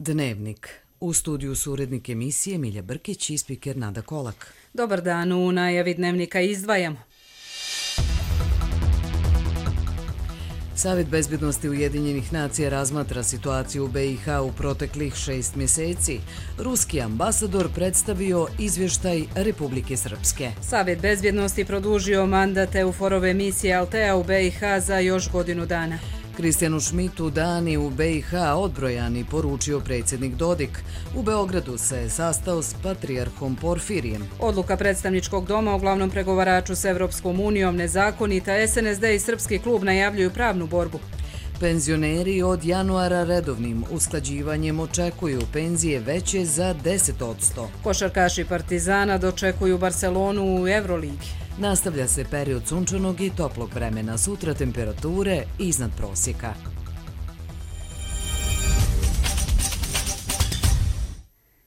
Dnevnik. U studiju su urednik emisije Milja Brkić i spiker Nada Kolak. Dobar dan, u najavi Dnevnika izdvajamo. Savjet bezbjednosti Ujedinjenih nacija razmatra situaciju u BiH u proteklih 6 mjeseci. Ruski ambasador predstavio izvještaj Republike Srpske. Savjet bezbjednosti produžio mandat EUFOR-ove misije Altea u BiH za još godinu dana. Kristijanu Šmitu dani u BiH odbrojani, poručio predsjednik Dodik. U Beogradu se sastao s patrijarhom Porfirijem. Odluka predstavničkog doma o glavnom pregovaraču s Evropskom unijom nezakonita. SNSD i Srpski klub najavljuju pravnu borbu. Penzioneri od januara redovnim usklađivanjem očekuju penzije veće za 10%. Košarkaši Partizana dočekuju Barcelonu u Euroligi. Nastavlja se period sunčanog i toplog vremena, sutra temperature iznad prosjeka.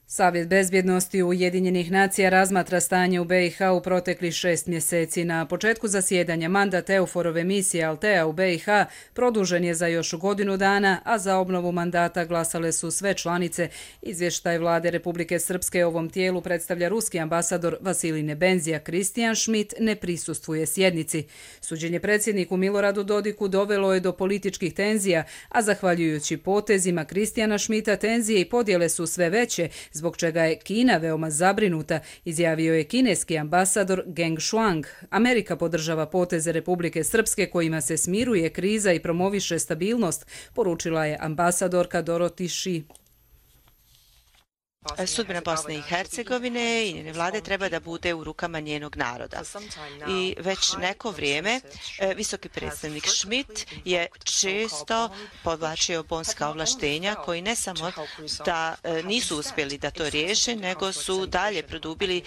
Savjet bezbjednosti Ujedinjenih nacija razmatra stanje u BiH u proteklih 6 mjeseci. Na početku zasjedanja mandat EUFOR-ove misije Altea u BiH produžen je za još godinu dana, a za obnovu mandata glasale su sve članice. Izvještaj vlade Republike Srpske ovom tijelu predstavlja ruski ambasador Vasilij Nebenzija. Kristijan Šmit ne prisustvuje sjednici. Suđenje predsjedniku Miloradu Dodiku dovelo je do političkih tenzija, a zahvaljujući potezima Kristijana Šmita tenzije i podjele su sve veće, zbog čega je Kina veoma zabrinuta, izjavio je kineski ambasador Geng Shuang. Amerika podržava poteze Republike Srpske kojima se smiruje kriza i promoviše stabilnost, poručila je ambasadorka Dorothy Shi. Sudbina Bosne i Hercegovine i njene vlade treba da bude u rukama njenog naroda. I već neko vrijeme visoki predstavnik Schmidt je često podvlačio bonska ovlaštenja koji ne samo da nisu uspjeli da to riješe, nego su dalje produbili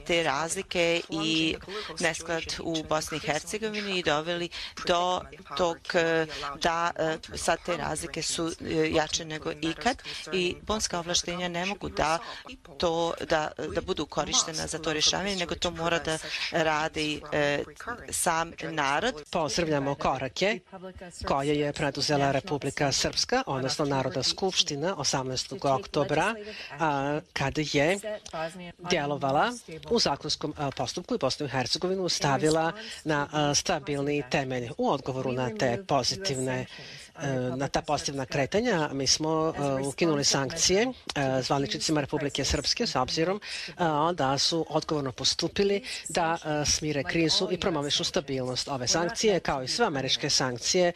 te razlike i nesklad u Bosni i Hercegovini i doveli do tog da sad te razlike su jače nego ikad i bonska ovlaštenja ne mogu da budu korištena za to rješavanje, nego to mora da radi sam narod. Pozdravljamo korake koje je preduzela Republika Srpska, odnosno Narodna skupština 18. oktobra, kada je djelovala u zakonskom postupku i Bosnu i Hercegovinu stavila na stabilni temelj. U odgovoru na ta pozitivna kretanja mi smo ukinuli sankcije zvaničnicima Republike Srpske s obzirom da su odgovorno postupili da smire krizu i promovišu stabilnost. Ove sankcije, kao i sve američke sankcije,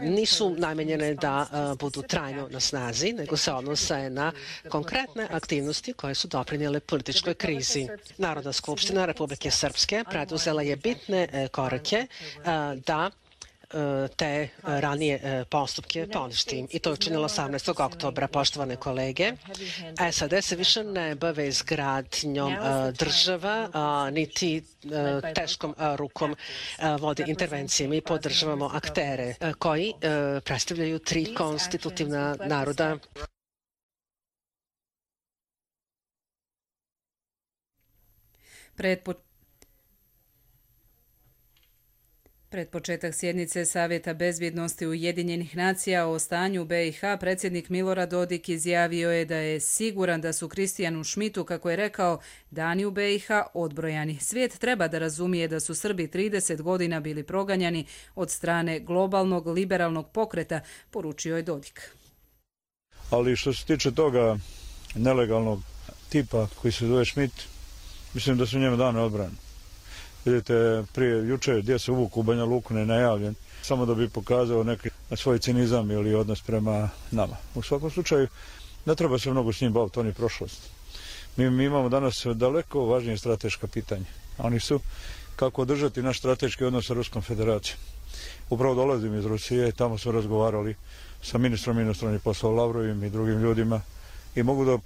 nisu namenjene da budu trajno na snazi, nego se odnose na konkretne aktivnosti koje su doprinijele političkoj krizi. Narodna skupština Republike Srpske preduzela je bitne korake da te ranije postupke poništi. I to je učinilo 18. oktobra. Poštovane kolege, SAD se više ne bave izgradnjom država, niti teškom rukom vode intervencije. Mi podržavamo aktere koji predstavljaju 3 konstitutivna naroda. Pred početak sjednice Savjeta bezbjednosti Ujedinjenih nacija o stanju BiH predsjednik Milorad Dodik izjavio je da je siguran da su Kristijanu Šmitu, kako je rekao, dani u BiH odbrojani. Svijet treba da razumije da su Srbi 30 godina bili proganjani od strane globalnog liberalnog pokreta, poručio je Dodik. Ali što se tiče toga nelegalnog tipa koji se zove Šmit, mislim da su njemu dane odbrane. Vidite, prije jučer gdje se uvuku u Banja Luku nenajavljen, samo da bi pokazao neki svoj cinizam ili odnos prema nama. U svakom slučaju, ne treba se mnogo s njim baviti, on je prošlost. Mi imamo danas daleko važnije strateška pitanja. Oni su kako održati naš strateški odnos sa Ruskom federacijom. Upravo dolazim iz Rusije, tamo smo razgovarali sa ministrom inostranih poslova Lavrovim i drugim ljudima i mogu da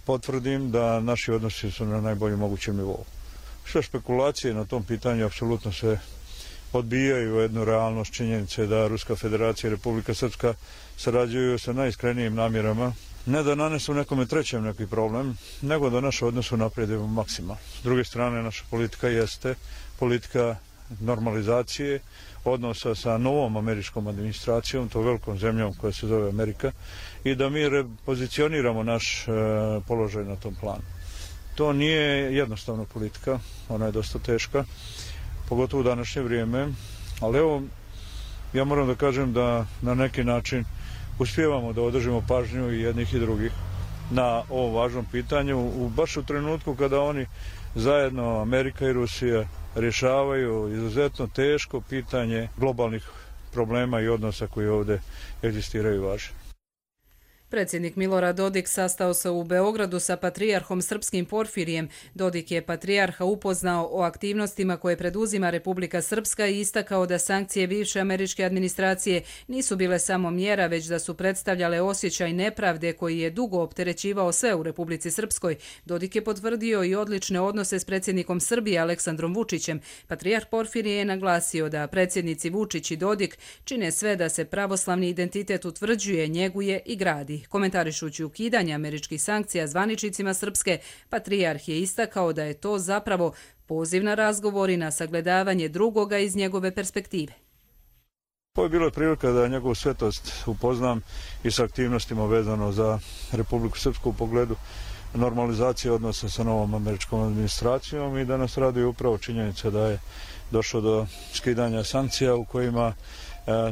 potvrdim da naši odnosi su na najboljem mogućem nivou. Sve špekulacije na tom pitanju apsolutno se odbijaju jednu realnost činjenice da Ruska federacija i Republika Srpska sarađuju sa najiskrenijim namjerama, ne da nanesu nekome trećem neki problem, nego da naše odnose napredimo maksimalno. S druge strane, naša politika jeste politika normalizacije odnosa sa novom američkom administracijom, to velikom zemljom koja se zove Amerika, i da mi repozicioniramo naš položaj na tom planu. To nije jednostavna politika, ona je dosta teška, pogotovo u današnje vrijeme, ali evo, ja moram da kažem da na neki način uspijevamo da održimo pažnju i jednih i drugih na ovom važnom pitanju, baš u trenutku kada oni zajedno, Amerika i Rusija, rješavaju izuzetno teško pitanje globalnih problema i odnosa koji ovdje egzistiraju i važe. Predsjednik Milorad Dodik sastao se u Beogradu sa patrijarhom srpskim Porfirijem. Dodik je patrijarha upoznao o aktivnostima koje preduzima Republika Srpska i istakao da sankcije bivše američke administracije nisu bile samo mjera, već da su predstavljale osjećaj nepravde koji je dugo opterećivao sve u Republici Srpskoj. Dodik je potvrdio i odlične odnose s predsjednikom Srbije Aleksandrom Vučićem. Patrijarh Porfirije je naglasio da predsjednici Vučić i Dodik čine sve da se pravoslavni identitet utvrđuje, njeguje i gradi. Komentarišući ukidanje američkih sankcija zvaničnicima Srpske, patrijarh je istakao da je to zapravo poziv na razgovor i na sagledavanje drugoga iz njegove perspektive. Ovo je bilo prilika da njegovu svetost upoznam i sa aktivnostima vezano za Republiku Srpsku u pogledu normalizacije odnosa sa novom američkom administracijom i da nas raduje upravo činjenica da je došlo do skidanja sankcija u kojima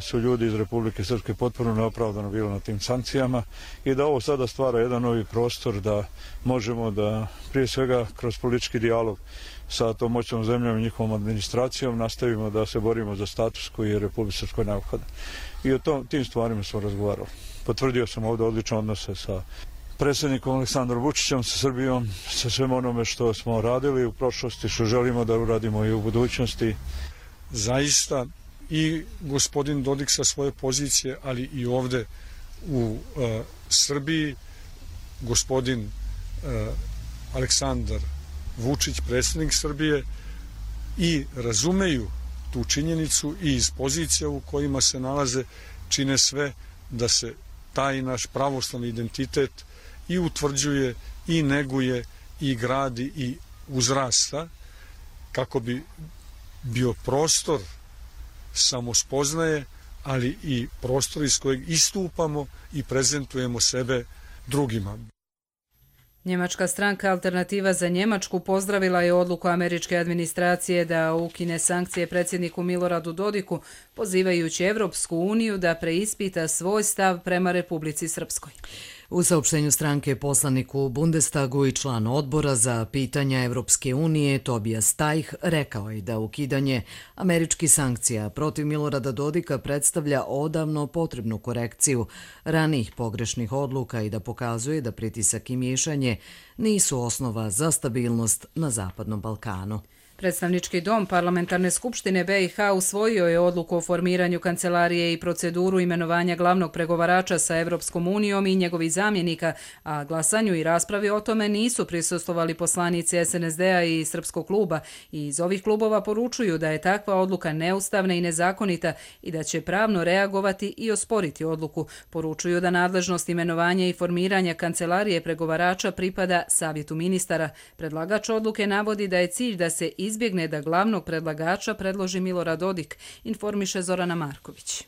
su ljudi iz Republike Srpske potpuno neopravdano bili na tim sankcijama i da ovo sada stvara jedan novi prostor da možemo da prije svega kroz politički dijalog sa tom moćnom zemljom i njihovom administracijom nastavimo da se borimo za status koji je Republike Srpskoj neophodan. I o tim stvarima smo razgovarali. Potvrdio sam ovdje odlične odnose sa predsjednikom Aleksandrom Vučićem, sa Srbijom, sa svem onome što smo radili u prošlosti, što želimo da uradimo i u budućnosti. Zaista i gospodin Dodik sa svoje pozicije, ali i ovde u Srbiji, gospodin Aleksandar Vučić, predsjednik Srbije, i razumeju tu činjenicu i iz pozicija u kojima se nalaze čine sve da se taj naš pravoslavni identitet i utvrđuje, i neguje, i gradi, i uzrasta, kako bi bio prostor samospoznaje, ali i prostor iz kojeg istupamo i prezentujemo sebe drugima. Njemačka stranka Alternativa za Njemačku pozdravila je odluku američke administracije da ukine sankcije predsjedniku Miloradu Dodiku, pozivajući Evropsku uniju da preispita svoj stav prema Republici Srpskoj. U saopštenju stranke poslanik u Bundestagu i član odbora za pitanja Evropske unije Tobias Tajh rekao je da ukidanje američkih sankcija protiv Milorada Dodika predstavlja odavno potrebnu korekciju ranijih pogrešnih odluka i da pokazuje da pritisak i miješanje nisu osnova za stabilnost na Zapadnom Balkanu. Predstavnički dom Parlamentarne skupštine BiH usvojio je odluku o formiranju kancelarije i proceduru imenovanja glavnog pregovarača sa Evropskom unijom i njegovih zamjenika, a glasanju i raspravi o tome nisu prisustvovali poslanici SNSD-a i Srpskog kluba i iz ovih klubova poručuju da je takva odluka neustavna i nezakonita i da će pravno reagovati i osporiti odluku. Poručuju da nadležnost imenovanja i formiranja kancelarije pregovarača pripada Savjetu ministara. Predlagač odluke navodi da je cilj da se izbjegne da glavnog predlagača predloži Milorad Dodik, informiše Zorana Marković.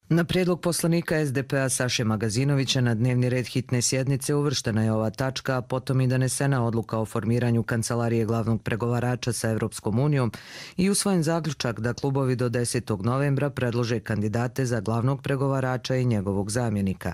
Na prijedlog poslanika SDP-a Saše Magazinovića na dnevni red hitne sjednice uvrštena je ova tačka, a potom i donesena odluka o formiranju kancelarije glavnog pregovarača sa Evropskom unijom i usvojen zaključak da klubovi do 10. novembra predlože kandidate za glavnog pregovarača i njegovog zamjenika.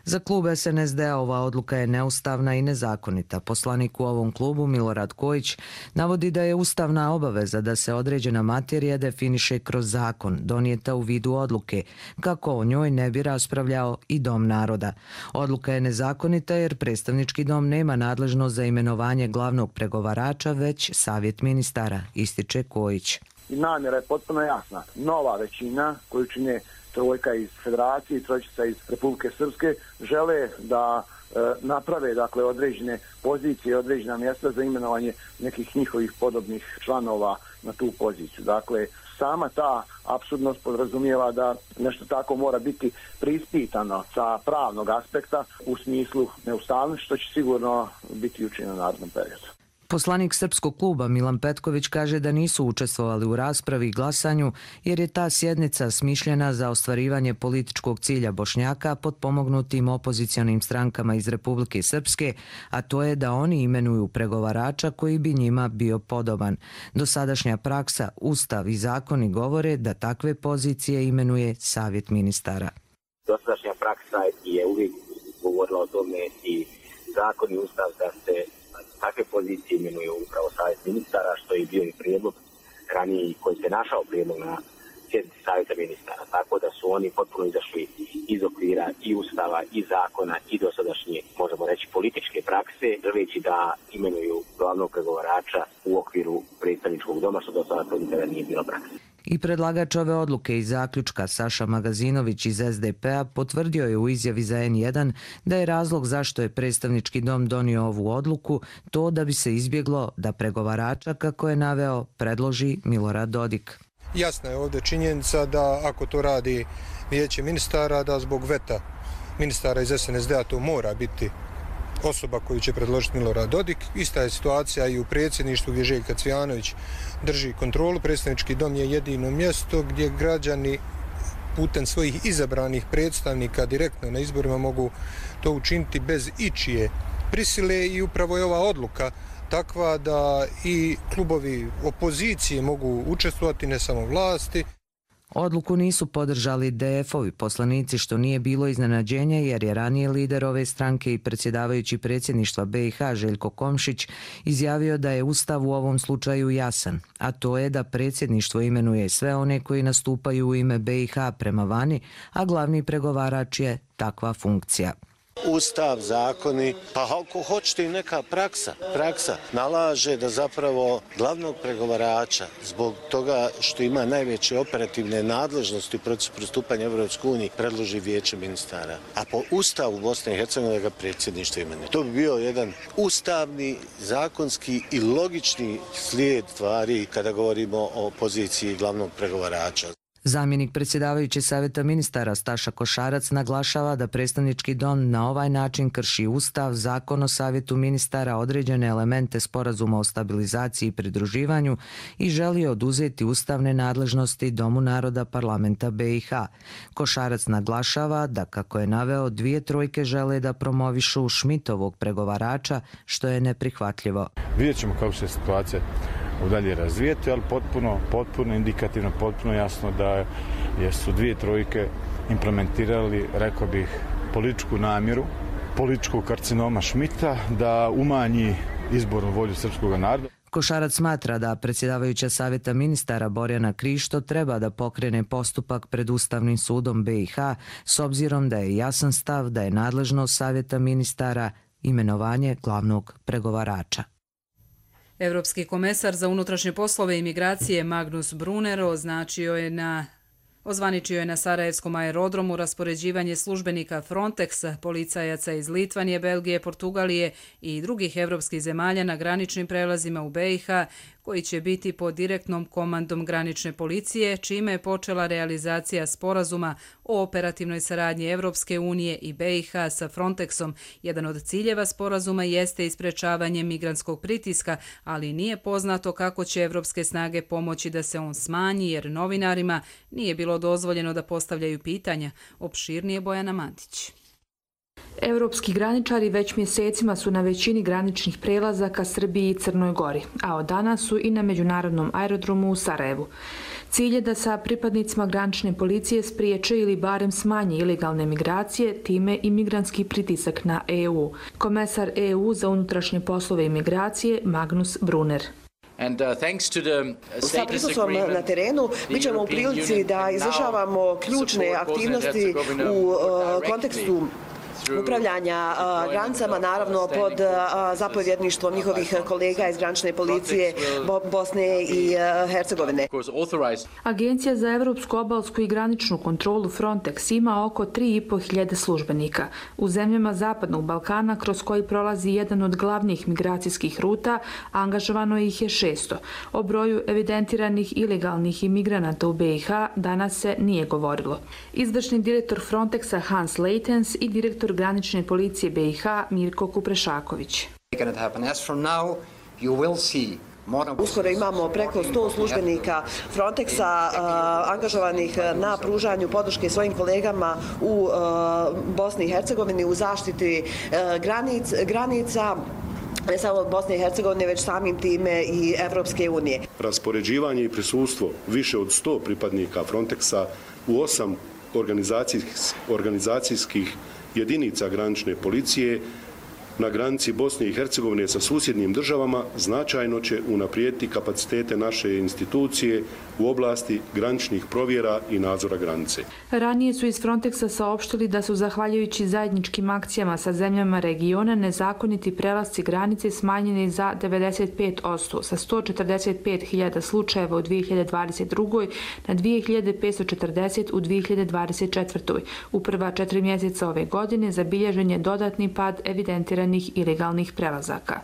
Za klub SNSD-a ova odluka je neustavna i nezakonita. Poslanik u ovom klubu Milorad Kojić navodi da je ustavna obaveza da se određena materija definiše kroz zakon, donijeta u vidu odluke, kako o njoj ne bi raspravljao i Dom naroda. Odluka je nezakonita jer predstavnički dom nema nadležnost za imenovanje glavnog pregovarača, već Savjet ministara, ističe Kojić. Namjera je potpuno jasna. Nova većina koju čine trojka iz Federacije i trojčica iz Republike Srpske žele da naprave određene pozicije, određena mjesta za imenovanje nekih njihovih podobnih članova na tu poziciju. Dakle, sama ta apsurdnost podrazumijeva da nešto tako mora biti preispitano sa pravnog aspekta u smislu neustavnosti, što će sigurno biti učinjeno u narednom periodu. Poslanik Srpskog kluba Milan Petković kaže da nisu učestvovali u raspravi i glasanju jer je ta sjednica smišljena za ostvarivanje političkog cilja Bošnjaka potpomognutim opozicionim strankama iz Republike Srpske, a to je da oni imenuju pregovarača koji bi njima bio podoban. Dosadašnja praksa, ustav i zakoni govore da takve pozicije imenuje Savjet ministara. Dosadašnja praksa je uvijek govorila o tome i zakon i ustav da se takve pozicije imenuju upravo Savjet ministara, što je bio i prijedlog raniji koji se našao prijedlog na sjednici Savjeta ministara. Tako da su oni potpuno izašli iz okvira i ustava i zakona i dosadašnje, možemo reći, političke prakse, želeći da imenuju glavnog pregovarača u okviru predstavničkog doma, što do sada to nikada nije bilo praksa. I predlagač ove odluke i zaključka Saša Magazinović iz SDP-a potvrdio je u izjavi za N1 da je razlog zašto je predstavnički dom donio ovu odluku to da bi se izbjeglo da pregovarača, kako je naveo, predloži Milorad Dodik. Jasna je ovdje činjenica da ako to radi vijeće ministara, da zbog veta ministara iz SNSD-a to mora biti osoba koju će predložiti Milorad Dodik. Ista je situacija i u predsjedništvu gdje Željka Cvijanović drži kontrolu. Predstavnički dom je jedino mjesto gdje građani putem svojih izabranih predstavnika direktno na izborima mogu to učiniti bez ičije prisile i upravo je ova odluka takva da i klubovi opozicije mogu učestvovati, ne samo vlasti. Odluku nisu podržali DF-ovi poslanici, što nije bilo iznenađenje jer je ranije lider ove stranke i predsjedavajući predsjedništva BiH Željko Komšić izjavio da je ustav u ovom slučaju jasan, a to je da predsjedništvo imenuje sve one koji nastupaju u ime BiH prema vani, a glavni pregovarač je takva funkcija. Ustav, zakoni, pa ako hoćete i neka praksa nalaže da zapravo glavnog pregovarača zbog toga što ima najveće operativne nadležnosti u procesu pristupanja Evropskoj uniji predloži vijeće ministara. A po ustavu Bosne i Hercegovine ga predsjedništvo imenuje. To bi bio jedan ustavni, zakonski i logični slijed stvari kada govorimo o poziciji glavnog pregovarača. Zamjenik predsjedavajuće Savjeta ministara Staša Košarac naglašava da predstavnički dom na ovaj način krši ustav, zakon o Savjetu ministara, određene elemente sporazuma o stabilizaciji i pridruživanju i želi oduzeti ustavne nadležnosti Domu naroda parlamenta BiH. Košarac naglašava da, kako je naveo, 2 žele da promovišu Šmitovog pregovarača, što je neprihvatljivo. Vidjet ćemo kako se situacija dalje razvijeti, ali potpuno indikativno, potpuno jasno da su 2 implementirali, rekao bih, političku namjeru, političkog karcinoma Šmita da umanji izbornu volju srpskog naroda. Košarac smatra da predsjedavajuća Savjeta ministara Borjana Krišto treba da pokrene postupak pred Ustavnim sudom BiH s obzirom da je jasan stav da je nadležnost Savjeta ministara imenovanje glavnog pregovarača. Evropski komesar za unutrašnje poslove i migracije Magnus Brunner ozvaničio je na Sarajevskom aerodromu raspoređivanje službenika Frontexa, policajaca iz Litvanije, Belgije, Portugalije i drugih evropskih zemalja na graničnim prelazima u BiH, koji će biti pod direktnom komandom granične policije, čime je počela realizacija sporazuma o operativnoj saradnji Evropske unije i BiH sa Frontexom. Jedan od ciljeva sporazuma jeste isprečavanje migrantskog pritiska, ali nije poznato kako će evropske snage pomoći da se on smanji, jer novinarima nije bilo dozvoljeno da postavljaju pitanja. Opširnije Bojana Mantić. Evropski graničari već mjesecima su na većini graničnih prelaza ka Srbiji i Crnoj Gori, a od danas su i na međunarodnom aerodromu u Sarajevu. Cilj je da sa pripadnicima granične policije spriječe ili barem smanje ilegalne migracije, time i migrantski pritisak na EU. Komesar EU za unutrašnje poslove i migracije Magnus Brunner. Sa prisustvom na terenu mi ćemo u prilici da izvršavamo ključne aktivnosti u kontekstu upravljanja granicama, naravno pod zapovjedništvom njihovih kolega iz granične policije Bosne i Hercegovine. Agencija za evropsku obalsku i graničnu kontrolu Frontex ima oko 3.500 službenika. U zemljama Zapadnog Balkana, kroz koji prolazi jedan od glavnih migracijskih ruta, angažovano ih je 600. O broju evidentiranih ilegalnih imigranata u BiH danas se nije govorilo. Izvršni direktor Frontexa Hans Leitens i direktor granične policije BiH Mirko Kuprešaković. Uskoro imamo preko 100 službenika Frontexa angažovanih na pružanju podrške svojim kolegama u Bosni i Hercegovini u zaštiti granica, ne samo Bosne i Hercegovine, već samim time i Evropske unije. Raspoređivanje i prisustvo više od 100 pripadnika Frontexa u 8 organizacijskih jedinica granične policije na granici Bosne i Hercegovine sa susjednim državama značajno će unaprijediti kapacitete naše institucije u oblasti graničnih provjera i nadzora granice. Ranije su iz Frontexa saopštili da su, zahvaljujući zajedničkim akcijama sa zemljama regiona, nezakoniti prelasci granice smanjeni za 95%, sa 145.000 slučajeva u 2022. na 2.540 u 2024. U prva 4 mjeseca ove godine zabilježen je dodatni pad evidentiranih ilegalnih prelazaka.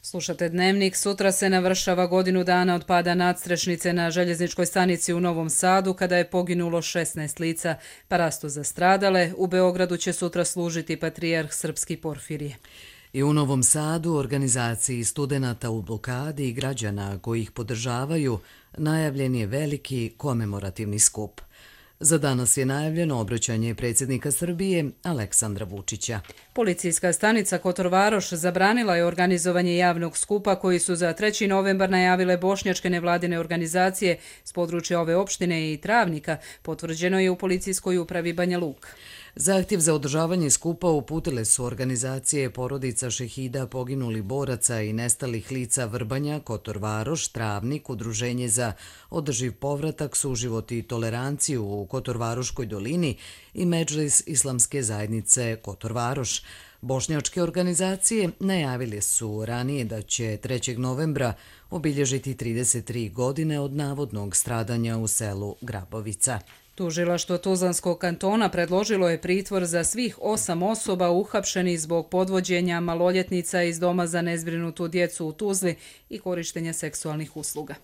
Slušate Dnevnik. Sutra se navršava godinu dana od pada nadstrešnice na željezničkoj stanici u Novom Sadu, kada je poginulo 16 lica. Parastu za stradale. U Beogradu će sutra služiti patrijarh Srpski Porfirije. I u Novom Sadu organizaciji studenata u blokadi i građana koji ih podržavaju najavljen je veliki komemorativni skup. Za danas je najavljeno obraćanje predsjednika Srbije Aleksandra Vučića. Policijska stanica Kotor Varoš zabranila je organizovanje javnog skupa koji su za 3. novembar najavile bošnjačke nevladine organizacije s područja ove opštine i Travnika, potvrđeno je u policijskoj upravi Banja Luka. Zahtjev za održavanje skupa uputile su organizacije porodica šehida poginulih boraca i nestalih lica Vrbanja, Kotor Varoš, Travnik, Udruženje za održiv povratak, suživot i toleranciju u Kotorvaroškoj dolini i Medžlis islamske zajednice Kotor Varoš. Bošnjačke organizacije najavile su ranije da će 3. novembra obilježiti 33 godine od navodnog stradanja u selu Grabovica. Tužilaštvo Tuzlanskog kantona predložilo je pritvor za svih 8 osoba uhapšenih zbog podvođenja maloljetnica iz doma za nezbrinutu djecu u Tuzli i korištenja seksualnih usluga.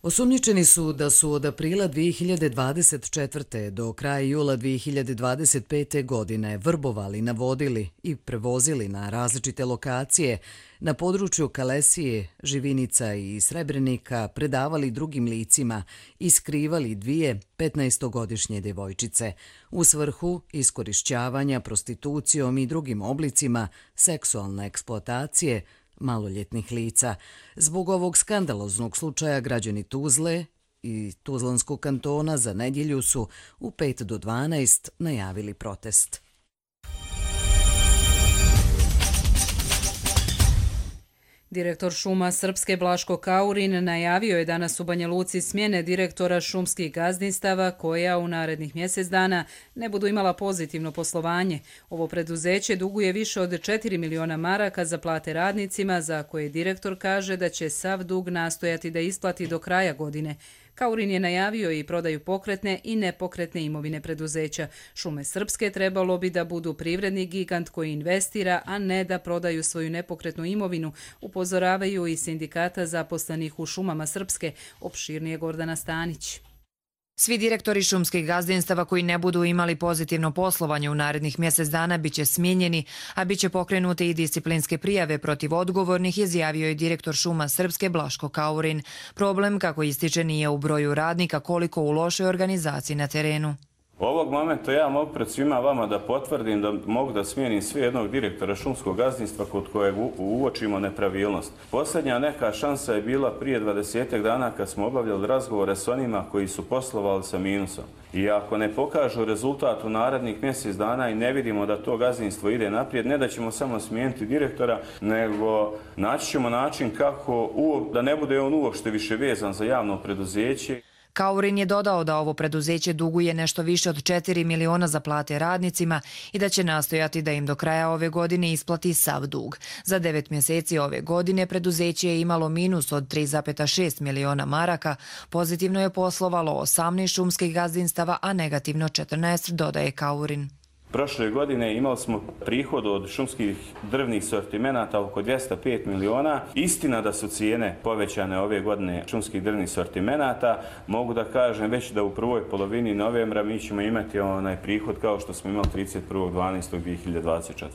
Osumnjičeni su da su od aprila 2024. do kraja jula 2025. godine vrbovali, navodili i prevozili na različite lokacije na području Kalesije, Živinica i Srebrenika, predavali drugim licima i skrivali 2 15-godišnje djevojčice u svrhu iskorišćavanja prostitucijom i drugim oblicima seksualne eksploatacije maloljetnih lica. Zbog ovog skandaloznog slučaja građani Tuzle i Tuzlanskog kantona za nedjelju su u 5 do 12 najavili protest. Direktor šuma Srpske Blaško Kaurin najavio je danas u Banja Luci smjene direktora šumskih gazdinstava koja u narednih mjesec dana ne budu imala pozitivno poslovanje. Ovo preduzeće duguje više od 4 miliona maraka za plate radnicima, za koje direktor kaže da će sav dug nastojati da isplati do kraja godine. Kaurin je najavio i prodaju pokretne i nepokretne imovine preduzeća. Šume Srpske trebalo bi da budu privredni gigant koji investira, a ne da prodaju svoju nepokretnu imovinu, upozoravaju i sindikata zaposlenih u šumama Srpske, opširnije Gordana Stanić. Svi direktori šumskih gazdinstava koji ne budu imali pozitivno poslovanje u narednih mjesec dana biće smijenjeni, a biće pokrenute i disciplinske prijave protiv odgovornih, izjavio je direktor šuma Srpske Blaško Kaurin. Problem, kako ističe, nije u broju radnika koliko u lošoj organizaciji na terenu. Ovog momenta ja mogu pred svima vama da potvrdim da mogu da smijenim sve jednog direktora šumskog gazdinstva kod kojeg uočimo nepravilnost. Posljednja neka šansa je bila prije 20 dana kad smo obavljali razgovore s onima koji su poslovali sa minusom. I ako ne pokažu rezultat u narednih mjesec dana i ne vidimo da to gazdinstvo ide naprijed, ne da ćemo samo smijeniti direktora, nego naći ćemo način kako da ne bude on uopšte više vezan za javno preduzeće. Kaurin je dodao da ovo preduzeće duguje nešto više od 4 miliona za plate radnicima i da će nastojati da im do kraja ove godine isplati sav dug. Za 9 mjeseci ove godine preduzeće je imalo minus od 3,6 miliona maraka, pozitivno je poslovalo 18 šumskih gazdinstava, a negativno 14, dodaje Kaurin. Prošle godine imali smo prihod od šumskih drvnih sortimenata oko 205 miliona. Istina da su cijene povećane ove godine šumskih drvnih sortimenata. Mogu da kažem već da u prvoj polovini novembra mi ćemo imati onaj prihod kao što smo imali 31.12.2024.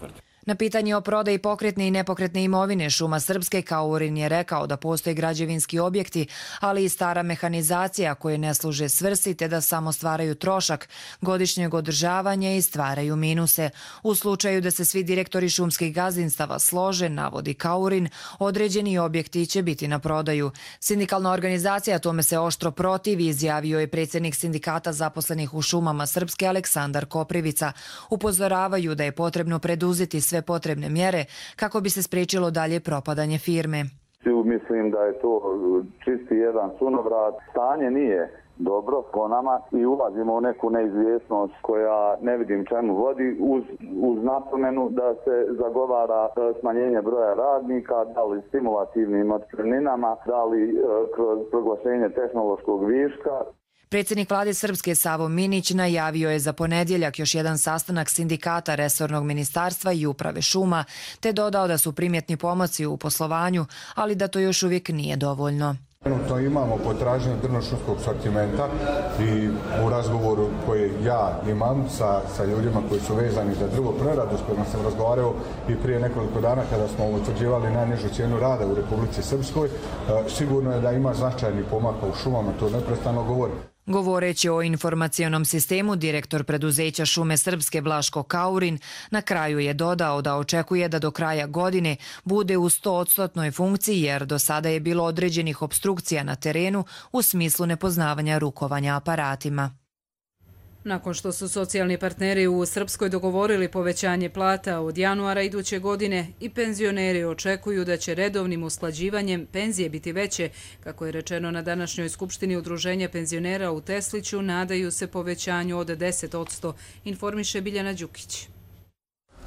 Na pitanje o prodaji pokretne i nepokretne imovine Šuma Srpske, Kaurin je rekao da postoje građevinski objekti, ali i stara mehanizacija koje ne služe svrsi te da samo stvaraju trošak godišnjeg održavanja i stvaraju minuse. U slučaju da se svi direktori šumskih gazdinstava slože, navodi Kaurin, određeni objekti će biti na prodaju. Sindikalna organizacija tome se oštro protivi, izjavio je predsjednik sindikata zaposlenih u Šumama Srpske Aleksandar Koprivica. Upozoravaju da je potrebno preduzeti sve potrebne mjere kako bi se spriječilo dalje propadanje firme. Mislim da je to čisti jedan sunovrat. Stanje nije dobro po nama i ulazimo u neku neizvjesnost koja ne vidim čemu vodi uz napomenu da se zagovara smanjenje broja radnika, da li stimulativnim otpremninama, da li kroz proglašenje tehnološkog viška. Predsjednik vlade Srpske Savo Minić najavio je za ponedjeljak još jedan sastanak sindikata resornog ministarstva i uprave šuma, te dodao da su primjetni pomaci u poslovanju, ali da to još uvijek nije dovoljno. Trenutno imamo potražnju drvno-šumskog sortimenta i u razgovoru koji ja imam sa ljudima koji su vezani za drvopreradu, s kojima sam razgovarao i prije nekoliko dana kada smo utvrđivali najnižu cijenu rada u Republici Srpskoj, sigurno je da ima značajni pomaka u šumama, to neprestano govorim. Govoreći o informacionom sistemu, direktor preduzeća Šume Srpske Blaško Kaurin na kraju je dodao da očekuje da do kraja godine bude u 100% funkciji jer do sada je bilo određenih opstrukcija na terenu u smislu nepoznavanja rukovanja aparatima. Nakon što su socijalni partneri u Srpskoj dogovorili povećanje plata od januara iduće godine i penzioneri očekuju da će redovnim usklađivanjem penzije biti veće, kako je rečeno na današnjoj skupštini Udruženja penzionera u Tesliću, nadaju se povećanju od 10%, informiše Biljana Đukić.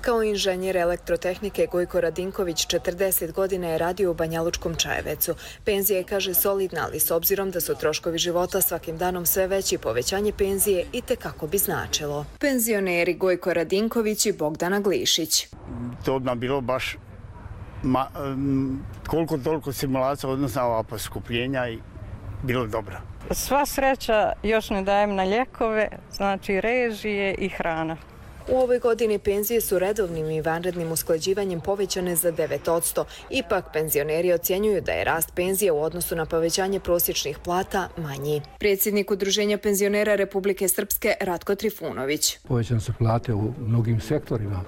Kao inženjer elektrotehnike Gojko Radinković 40 godina je radio u Banjalučkom Čajevecu. Penzija je, kaže, solidna, ali s obzirom da su troškovi života svakim danom sve veći, povećanje penzije i tekako bi značilo. Penzioneri Gojko Radinković i Bogdana Glišić. To bi nam bilo baš koliko toliko simulacija odnosno ova poskupljenja i bilo dobro. Sva sreća još ne dajem na lijekove, znači režije i hrana. U ovoj godini penzije su redovnim i vanrednim usklađivanjem povećane za 9%. Ipak penzioneri ocjenjuju da je rast penzije u odnosu na povećanje prosječnih plata manji. Predsjednik Udruženja penzionera Republike Srpske Ratko Trifunović. Povećane su plate u mnogim sektorima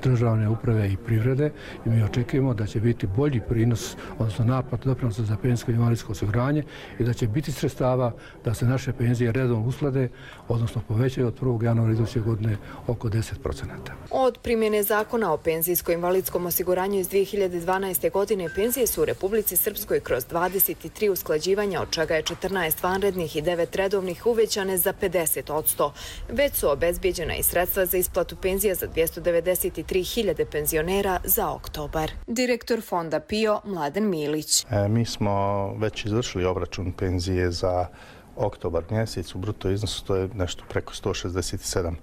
državne uprave i privrede i mi očekujemo da će biti bolji prinos, odnosno naplata doprinosa za penzijsko i invalidsko osiguranje i da će biti sredstava da se naše penzije redovno usklade, odnosno povećaju od 1. januara iduće godine oko 10%. Od primjene zakona o penzijsko-invalidskom osiguranju iz 2012. godine penzije su u Republici Srpskoj kroz 23 usklađivanja, od čega je 14 vanrednih i 9 redovnih uvećane za 50%. Već su obezbijeđena i sredstva za isplatu penzija za 293.000 penzionera za oktobar. Direktor fonda PIO Mladen Milić. Mi smo već izvršili obračun penzije za oktobar mjesec, u bruto iznosu to je nešto preko 167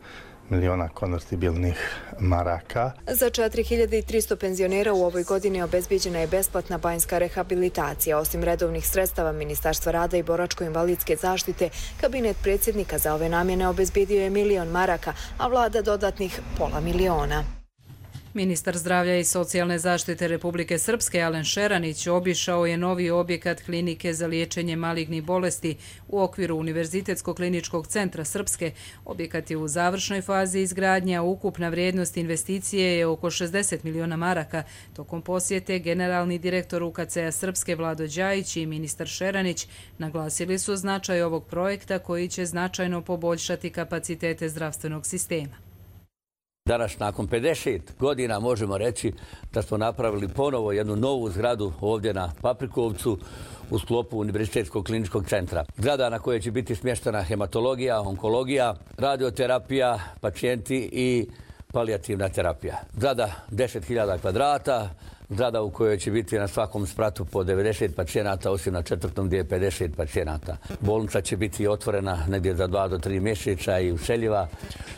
miliona konvertibilnih maraka. Za 4.300 penzionera u ovoj godini obezbijeđena je besplatna banjska rehabilitacija. Osim redovnih sredstava Ministarstva rada i boračko-invalidske zaštite, kabinet predsjednika za ove namjene obezbijedio je 1 milion maraka, a vlada dodatnih pola miliona. Ministar zdravlja i socijalne zaštite Republike Srpske Alen Šeranić obišao je novi objekat klinike za liječenje malignih bolesti u okviru Univerzitetskog kliničkog centra Srpske. Objekat je u završnoj fazi izgradnje, a ukupna vrijednost investicije je oko 60 miliona maraka. Tokom posjete generalni direktor UKC-a Srpske Vlado Đajić i ministar Šeranić naglasili su značaj ovog projekta koji će značajno poboljšati kapacitete zdravstvenog sistema. Danas, nakon 50 godina, možemo reći da smo napravili ponovo jednu novu zgradu ovdje na Paprikovcu u sklopu Univerzitetskog kliničkog centra. Zgrada na kojoj će biti smještena hematologija, onkologija, radioterapija, pacijenti i palijativna terapija. Zgrada 10.000 kvadrata, zgrada u kojoj će biti na svakom spratu po 90 pacijenata, osim na 4. gdje je 50 pacijenata. Bolnica će biti otvorena negdje za 2 do 3 mjeseca i useljiva.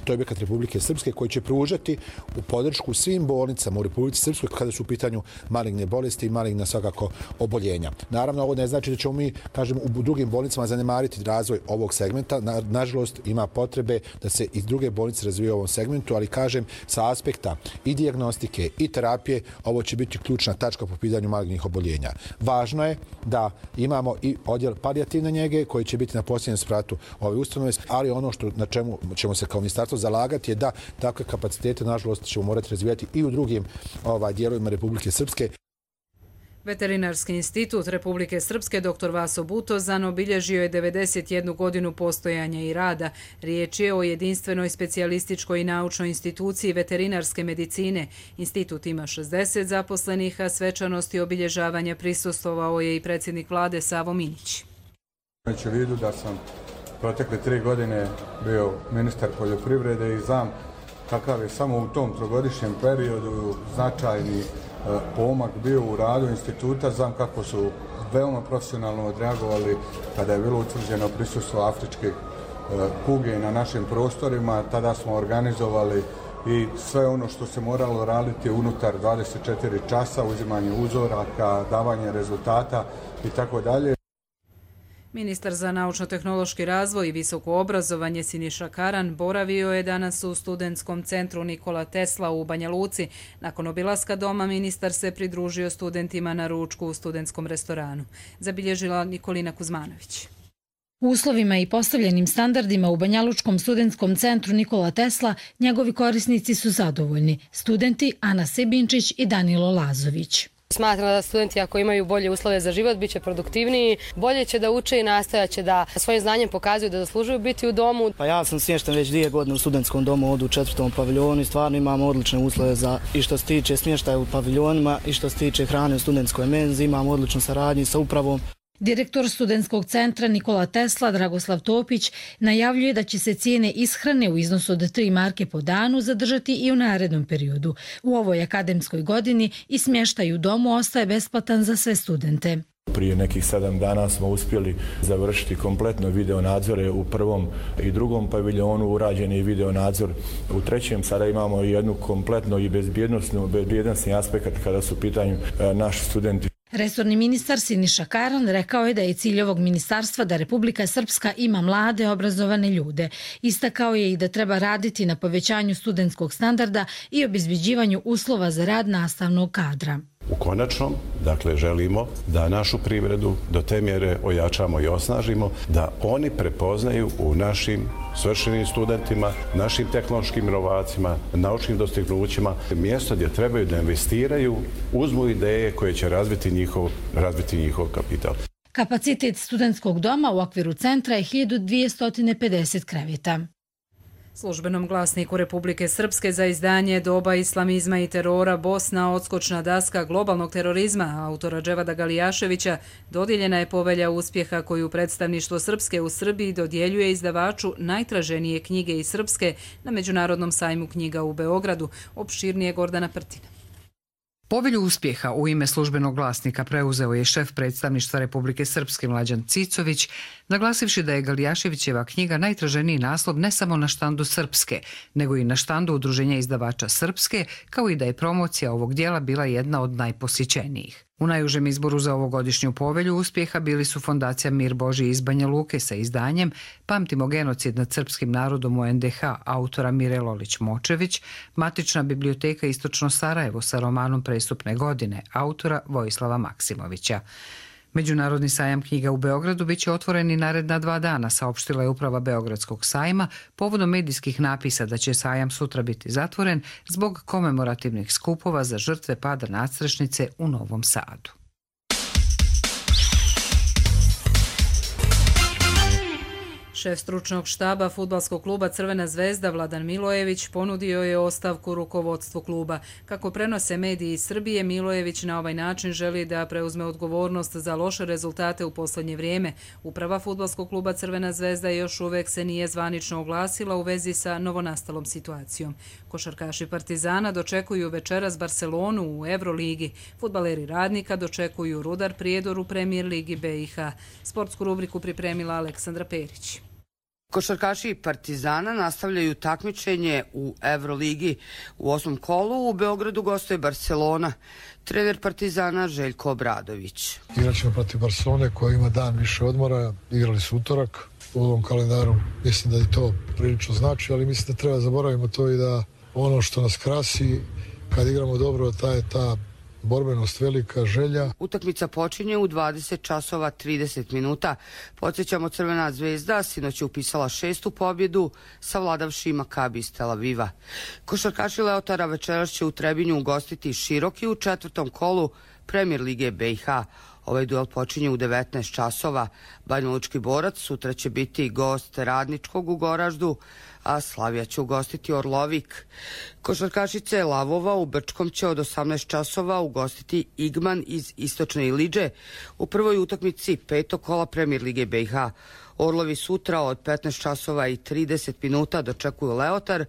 To je objekat Republike Srpske koji će pružati u podršku svim bolnicama u Republici Srpskoj kada su u pitanju maligne bolesti i maligna svakako oboljenja. Naravno, ovo ne znači da ćemo mi, kažem, u drugim bolnicama zanemariti razvoj ovog segmenta. Nažalost, ima potrebe da se i druge bolnice razvijaju u ovom segmentu, ali kažem, sa aspekta i dijagnostike i terapije, ovo će biti ključna tačka po pitanju malignih oboljenja. Važno je da imamo i odjel palijativne njege koji će biti na posljednjem spratu ove ustanove, ali ono na čemu ćemo se kao ministarstvo zalagati je da takve kapacitete, nažalost, ćemo morati razvijati i u drugim dijelovima Republike Srpske. Veterinarski institut Republike Srpske dr. Vaso Butozan obilježio je 91 godinu postojanja i rada. Riječ je o jedinstvenoj specijalističkoj i naučnoj instituciji veterinarske medicine. Institut ima 60 zaposlenih, a svečanosti obilježavanja prisustvovao je i predsjednik vlade Savo Minić. Imajući u vidu da sam protekle 3 godine bio ministar poljoprivrede i znam kakav je samo u tom trogodišnjem periodu značajni pomak bio u radu instituta, znam kako su veoma profesionalno odreagovali kada je bilo utvrđeno prisustvo afričke kuge na našim prostorima. Tada smo organizovali i sve ono što se moralo raditi unutar 24 časa, uzimanje uzoraka, davanje rezultata i tako dalje. Ministar za naučno-tehnološki razvoj i visoko obrazovanje Siniša Karan boravio je danas u studentskom centru Nikola Tesla u Banja Luci. Nakon obilaska doma ministar se pridružio studentima na ručku u studentskom restoranu. Zabilježila Nikolina Kuzmanović. U uslovima i postavljenim standardima u Banjalučkom studentskom centru Nikola Tesla njegovi korisnici su zadovoljni. Studenti Ana Sebinčić i Danilo Lazović. Smatram da studenti ako imaju bolje uslove za život, bit će produktivniji, bolje će da uče i nastojat će da svojim znanjem pokazuju da zaslužuju biti u domu. Pa ja sam smješten već 2 godine u studentskom domu, ovdje u 4. paviljonu i stvarno imamo odlične uslove i što se tiče smještaja u paviljonima i što se tiče hrane u studentskoj menzi, imamo odličnu saradnju sa upravom. Direktor studentskog centra Nikola Tesla Dragoslav Topić najavljuje da će se cijene ishrane u iznosu od 3 marke po danu zadržati i u narednom periodu. U ovoj akademskoj godini i smještaj u domu ostaje besplatan za sve studente. Prije nekih 7 dana smo uspjeli završiti kompletno video nadzore u 1. i 2. paviljonu, urađen je video nadzor u 3. Sada imamo jednu kompletno i bezbjednosni aspekt kada su u pitanju naši studenti. Resorni ministar Siniša Karan rekao je da je cilj ovog ministarstva da Republika Srpska ima mlade, obrazovane ljude. Istakao je i da treba raditi na povećanju studentskog standarda i obezbeđivanju uslova za rad nastavnog kadra. U konačnom, dakle, želimo da našu privredu do te mjere ojačamo i osnažimo, da oni prepoznaju u našim svršenim studentima, našim tehnološkim inovacima, naučnim dostignućima, mjesto gdje trebaju da investiraju, uzmu ideje koje će razviti njihov kapital. Kapacitet studentskog doma u okviru centra je 1250 kreveta. Službenom glasniku Republike Srpske za izdanje Doba islamizma i terora Bosna, odskočna daska globalnog terorizma autora Dževada Galijaševića dodijeljena je povelja uspjeha koju predstavništvo Srpske u Srbiji dodjeljuje izdavaču najtraženije knjige iz Srpske na Međunarodnom sajmu knjiga u Beogradu. Opširnije Gordana Prtina. Povelju uspjeha u ime službenog glasnika preuzeo je šef predstavništva Republike Srpske Mlađan Cicović, naglasivši da je Galijaševićeva knjiga najtraženiji naslov ne samo na štandu Srpske, nego i na štandu Udruženja izdavača Srpske, kao i da je promocija ovog dijela bila jedna od najposjećenijih. U najužem izboru za ovogodišnju povelju uspjeha bili su Fondacija Mir Božji iz Banja Luke sa izdanjem Pamtimo genocid nad srpskim narodom u NDH autora Mire Lolić-Močević, Matična biblioteka Istočno Sarajevo sa romanom Prestupne godine autora Vojislava Maksimovića. Međunarodni sajam knjiga u Beogradu bit će otvoren i naredna 2 dana, saopštila je uprava Beogradskog sajma povodom medijskih napisa da će sajam sutra biti zatvoren zbog komemorativnih skupova za žrtve pada nadstrešnice u Novom Sadu. Šef stručnog štaba fudbalskog kluba Crvena zvezda Vladan Milojević ponudio je ostavku rukovodstvu kluba. Kako prenose mediji iz Srbije, Milojević na ovaj način želi da preuzme odgovornost za loše rezultate u posljednje vrijeme. Uprava fudbalskog kluba Crvena zvezda još uvek se nije zvanično oglasila u vezi sa novonastalom situacijom. Košarkaši Partizana dočekuju večeras Barcelonu u Euroligi. Fudbaleri Radnika dočekuju Rudar Prijedor u Premier ligi BiH. Sportsku rubriku pripremila Aleksandra Perić. Košarkaši Partizana nastavljaju takmičenje u Euroligi. U 8. kolu u Beogradu gostuje Barcelona. Trener Partizana Željko Obradović. Igraćemo protiv Barcelone koja ima dan više odmora. Igrali su utorak. U ovom kalendaru mislim da i to prilično znači, ali mislim da treba zaboravimo to i da ono što nas krasi kad igramo dobro, ta borbenost, velika želja. Utakmica počinje u 20 časova 30 minuta. Podsjećamo, Crvena zvezda sinoć je upisala 6. pobjedu savladavši Makabi iz Tel Aviva. Košarkaši Leotara večeras će u Trebinju ugostiti Široki u 4. kolu Premier lige BiH. Ovaj duel počinje u 19 časova. Banjalučki Borac sutra će biti gost Radničkog u Goraždu, a Slavija će ugostiti Orlovik. Košarkašice Lavova u Brčkom će od 18 časova ugostiti Igman iz Istočne Ilidže u prvoj utakmici 5. kola Premier lige BiH. Orlovi sutra od 15 časova i 30 minuta dočekuju Leotar,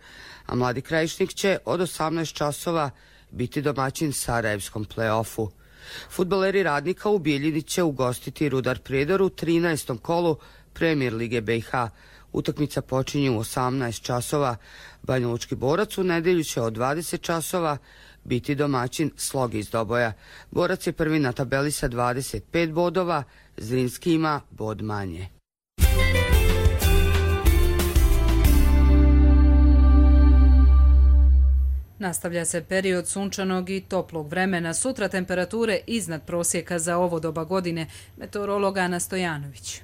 a Mladi Krajišnik će od 18 časova biti domaćin Sarajevskom play-offu. Fudbaleri Radnika u Bijeljini će ugostiti Rudar Prijedor u 13. kolu Premier lige BiH. Utakmica počinje u 18 časova. Banjalučki Borac u nedjelju će od 20 časova biti domaćin Slogi iz Doboja. Borac je prvi na tabeli sa 25 bodova, Zrinski ima bod manje. Nastavlja se period sunčanog i toplog vremena. Sutra temperature iznad prosjeka za ovo doba godine. Meteorolog Ana Stojanović.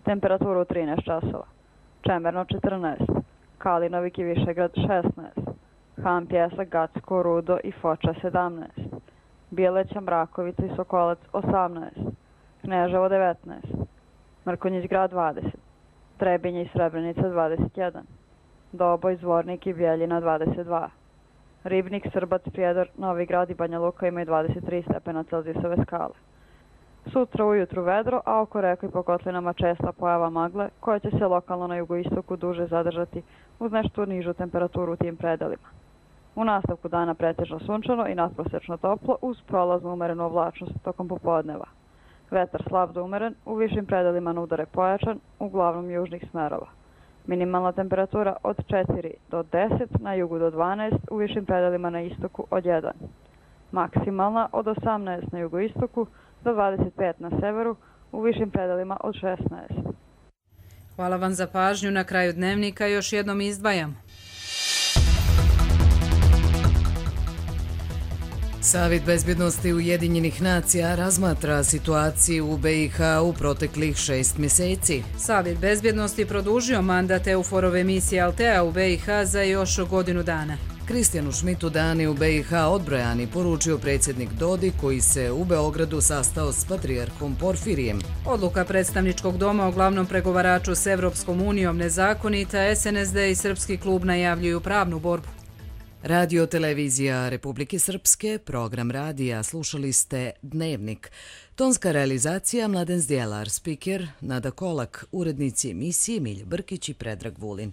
Temperatura u 13 časova. Čemerno 14. Kalinovik i Višegrad 16. Han, Pjesak, Gacko, Rudo i Foča 17. Bijeleća, Mrakovica i Sokolac 18. Kneževo 19. Mrkonjić grad 20. Trebinje i Srebrenica 21. Doboj, Zvornik i Bijeljina 22. Ribnik, Srbac, Prijedor, Novi Grad i Banja Luka imaju 23 stepena Celzijusove skale. Sutra ujutru vedro, a oko reka i po kotlinama česta pojava magle, koja će se lokalno na jugoistoku duže zadržati uz nešto nižu temperaturu u tim predelima. U nastavku dana pretežno sunčano i nadprosečno toplo uz prolaznu umerenu oblačnost tokom popodneva. Vetar slab do umeren, u višim predelima na udare pojačan, uglavnom južnih smerova. Minimalna temperatura od 4 do 10, na jugu do 12, u višim predelima na istoku od 1. Maksimalna od 18 na jugoistoku do 25 na severu, u višim predelima od 16. Hvala vam za pažnju. Na kraju dnevnika još jednom izdvajamo. Savjet bezbjednosti Ujedinjenih nacija razmatra situaciju u BiH u proteklih 6 mjeseci. Savjet bezbjednosti produžio mandat EUFOR-ove misije Altea u BiH za još godinu dana. Kristijanu Šmitu dani u BiH odbrojani, poručio predsjednik Dodik koji se u Beogradu sastao s patrijarhom Porfirijem. Odluka predstavničkog doma o glavnom pregovaraču s Evropskom unijom nezakonita, SNSD i Srpski klub najavljuju pravnu borbu. Radio televizija Republike Srpske, program radija, slušali ste Dnevnik. Tonska realizacija Mladen Zdjelar, spiker Nada Kolak, urednici emisije Milja Brkić i Predrag Vulin.